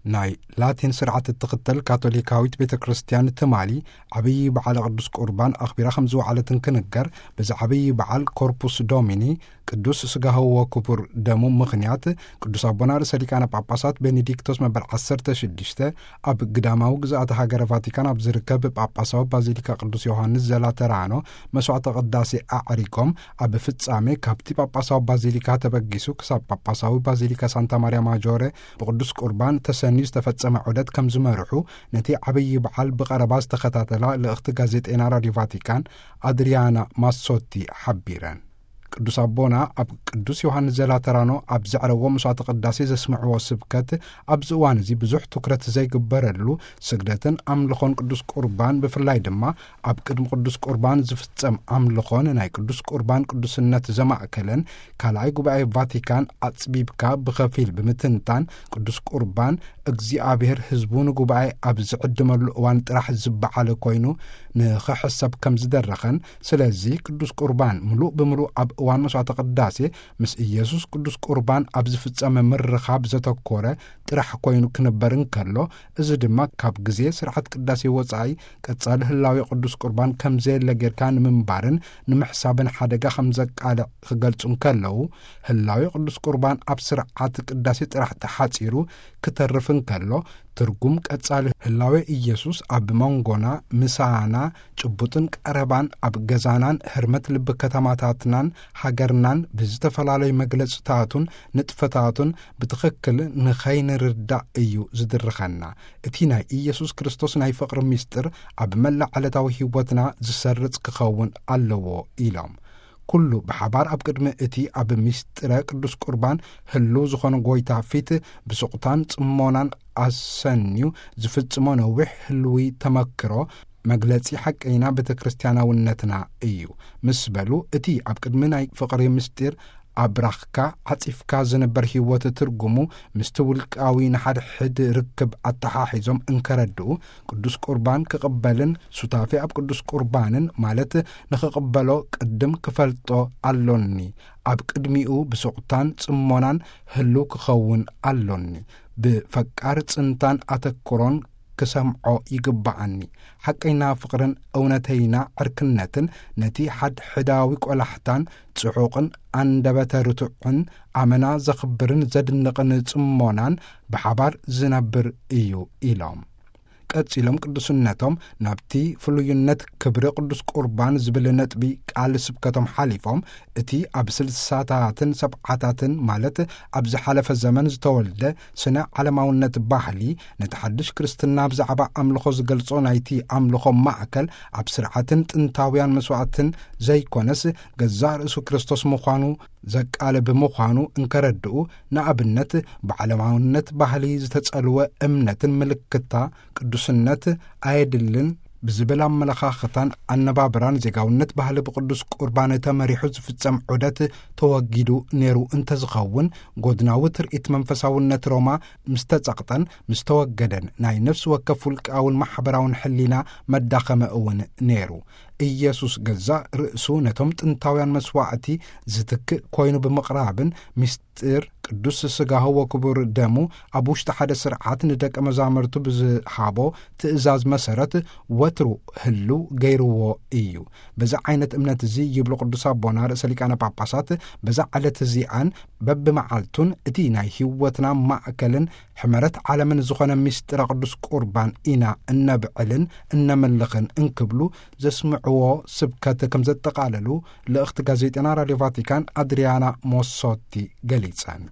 ናይ ላቲን ስርዓት እትኽተል ካቶሊካዊት ቤተ ክርስቲያን ትማሊ ዓብዪ በዓል ቅዱስ ቁርባን ኣኽቢራ ከም ዝወዓለት እንክንገር፣ በዚ ዓብዪ በዓል ኮርፑስ ዶሚኒ፣ ቅዱስ ስጋሁ ወክቡር ደሙ ምኽንያት፣ ቅዱስ ኣቦና ርእሰ ሊቃነ ጳጳሳት ቤኔዲክቶስ መበል ዓሰርተ ሽዱሽተ ኣብ ግዳማዊ ግዝኣተ ሃገረ ቫቲካን ኣብ ዝርከብ ጳጳሳዊ ባዚሊካ ቅዱስ ዮሃንስ ዘላተራኖ መስዋዕተ ቅዳሴ ኣዕሪጎም፣ ኣብ ፍጻሜ ካብቲ ጳጳሳዊ ባዚሊካ ተበጊሱ ክሳብ ጳጳሳዊ ባዚሊካ ሳንታ ማርያ ማጆረ ብቅዱስ ቁርባን ተሰንዩ ዝተፈጸመ ዑደት ከም ዝመርሑ፣ ነቲ ዓብዪ በዓል ብቐረባ ዝተኸታተላ ልእኽቲ ጋዜጠይና ራድዮ ቫቲካን ኣድሪያና ማሶቲ ሓቢረን። ቅዱስ ኣቦና ኣብ ቅዱስ ዮሃንስ ዘላተራኖ ኣብ ዘዕረዎ መስዋዕተ ቅዳሴ ዘስምዕዎ ስብከት፣ ኣብዚ እዋን እዚ ብዙሕ ትኩረት ዘይግበረሉ፣ ስግደትን ኣምልኾን ቅዱስ ቁርባን፣ ብፍላይ ድማ ኣብ ቅድሚ ቅዱስ ቁርባን ዝፍጸም ኣምልኾን ናይ ቅዱስ ቁርባን ቅዱስነት ዘማእከለን፣ ካልኣይ ጉባኤ ቫቲካን ኣጽቢብካ ብኸፊል ብምትንታን፣ ቅዱስ ቁርባን እግዚኣብሔር ህዝቡ ንጉባኤ ኣብ ዝዕድመሉ እዋን ጥራሕ ዝበዓለ ኮይኑ ንኽሕሰብ ከም ዝደረኸን፣ ስለዚ ቅዱስ ቁርባን ምሉእ ብምሉእ ኣብ እዋን መስዋዕተ ቅዳሴ ምስ ኢየሱስ ቅዱስ ቁርባን ኣብ ዝፍጸመ ምርኻብ ዘተኮረ ጥራሕ ኮይኑ ክንበር እንከሎ፣ እዚ ድማ ካብ ግዜ ስርዓት ቅዳሴ ወጻኢ ቀጻሊ ህላዌ ቅዱስ ቁርባን ከም ዘየለ ጌርካ ንምንባርን ንምሕሳብን ሓደጋ ከም ዘቃልዕ ክገልጹ እንከለዉ፣ ህላዌ ቅዱስ ቁርባን ኣብ ስርዓት ቅዳሴ ጥራሕ ተሓጺሩ ክተርፍ እንከሎ፣ ትርጉም ቀጻሊ ህላዌ ኢየሱስ ኣብ መንጎና፣ ምሳና፣ ጭቡጥን ቀረባን፣ ኣብ ገዛናን ህርመት ልቢ ከተማታትናን ሃገርናን ብዝተፈላለዩ መግለጽታቱን ንጥፈታቱን ብትኽክል ንኸይንርዳእ እዩ ዝድርኸና። እቲ ናይ ኢየሱስ ክርስቶስ ናይ ፍቕሪ ምስጢር ኣብ መላእ ዕለታዊ ህይወትና ዝሰርጽ ክኸውን ኣለዎ ኢሎም። ኩሉ ብሓባር ኣብ ቅድሚ እቲ ኣብ ምስጢረ ቅዱስ ቁርባን ህልው ዝኾነ ጎይታ ፊት ብስቕታን ጽሞናን ኣሰንዩ ዝፍጽሞ ነዊሕ ህልዊ ተመክሮ መግለጺ ሓቀይና ቤተ ክርስቲያናውነትና እዩ ምስ በሉ፣ እቲ ኣብ ቅድሚ ናይ ፍቕሪ ምስጢር ኣብራኽካ ዓጺፍካ ዝንበር ህይወት ትርጉሙ ምስቲ ውልቃዊ ንሓድሕድ ርክብ ኣተሓሒዞም እንከረድኡ፣ ቅዱስ ቁርባን ክቕበልን ሱታፌ ኣብ ቅዱስ ቁርባንን ማለት ንኽቕበሎ ቅድም ክፈልጦ ኣሎኒ። ኣብ ቅድሚኡ ብስቕታን ጽሞናን ህልው ክኸውን ኣሎኒ። ብፈቃር ጽንታን ኣተክሮን ክሰምዖ ይግብኣኒ። ሓቀይና ፍቕርን እውነተይና ዕርክነትን ነቲ ሓድሕዳዊ ቆላሕታን ጽዑቕን ኣንደበተ ርቱዕን ኣመና ዘኽብርን ዘድንቕን ጽሞናን ብሓባር ዝነብር እዩ ኢሎም። ቀጺሎም ቅዱስነቶም ናብቲ ፍሉይነት ክብሪ ቅዱስ ቁርባን ዝብል ነጥቢ ቃል ስብከቶም ሓሊፎም፣ እቲ ኣብ ስልሳታትን ሰብዓታትን ማለት ኣብ ዝሓለፈ ዘመን ዝተወልደ ስነ ዓለማውነት ባህሊ፣ ነቲ ሓድሽ ክርስትና ብዛዕባ ኣምልኾ ዝገልጾ ናይቲ ኣምልኾ ማእከል ኣብ ስርዓትን ጥንታውያን መስዋዕትን ዘይኮነስ ገዛእ ርእሱ ክርስቶስ ምዃኑ ዘቃልብ ምዃኑ እንከረድኡ፣ ንኣብነት ብዓለማውነት ባህሊ ዝተጸልወ እምነትን ምልክታ ቅዱስነት ኣየድልን ብዝብል ኣመለኻኽታን ኣነባብራን ዜጋውነት ባህሊ ብቅዱስ ቁርባን ተመሪሑ ዝፍጸም ዑደት ተወጊዱ ነይሩ እንተዝኸውን፣ ጎድናዊ ትርኢት መንፈሳውነት ሮማ ምስ ተጸቕጠን ምስ ተወገደን ናይ ነፍሲ ወከፍ ውልቃውን ማሕበራውን ሕሊና መዳኸመ እውን ነይሩ። ኢየሱስ ገዛእ ርእሱ ነቶም ጥንታውያን መስዋዕቲ ዝትክእ ኮይኑ ብምቕራብን ምስጢር ቅዱስ ስጋሁ ወክቡር ደሙ ኣብ ውሽጢ ሓደ ስርዓት ንደቀ መዛሙርቱ ብዝሃቦ ትእዛዝ መሰረት ወትሩ ህልው ገይርዎ እዩ። በዚ ዓይነት እምነት እዚ ይብሉ ቅዱስ ኣቦና ርእሰ ሊቃነ ጳጳሳት፣ በዛ ዕለት እዚኣን በብመዓልቱን እቲ ናይ ህይወትና ማእከልን ሕመረት ዓለምን ዝኾነ ምስጢረ ቅዱስ ቁርባን ኢና እነብዕልን እነምልኽን እንክብሉ ዘስምዕዎ ስብከት ከም ዘጠቓለሉ ልእኽቲ ጋዜጠና ራድዮ ቫቲካን ኣድሪያና ሞሶቲ ገሊጸን።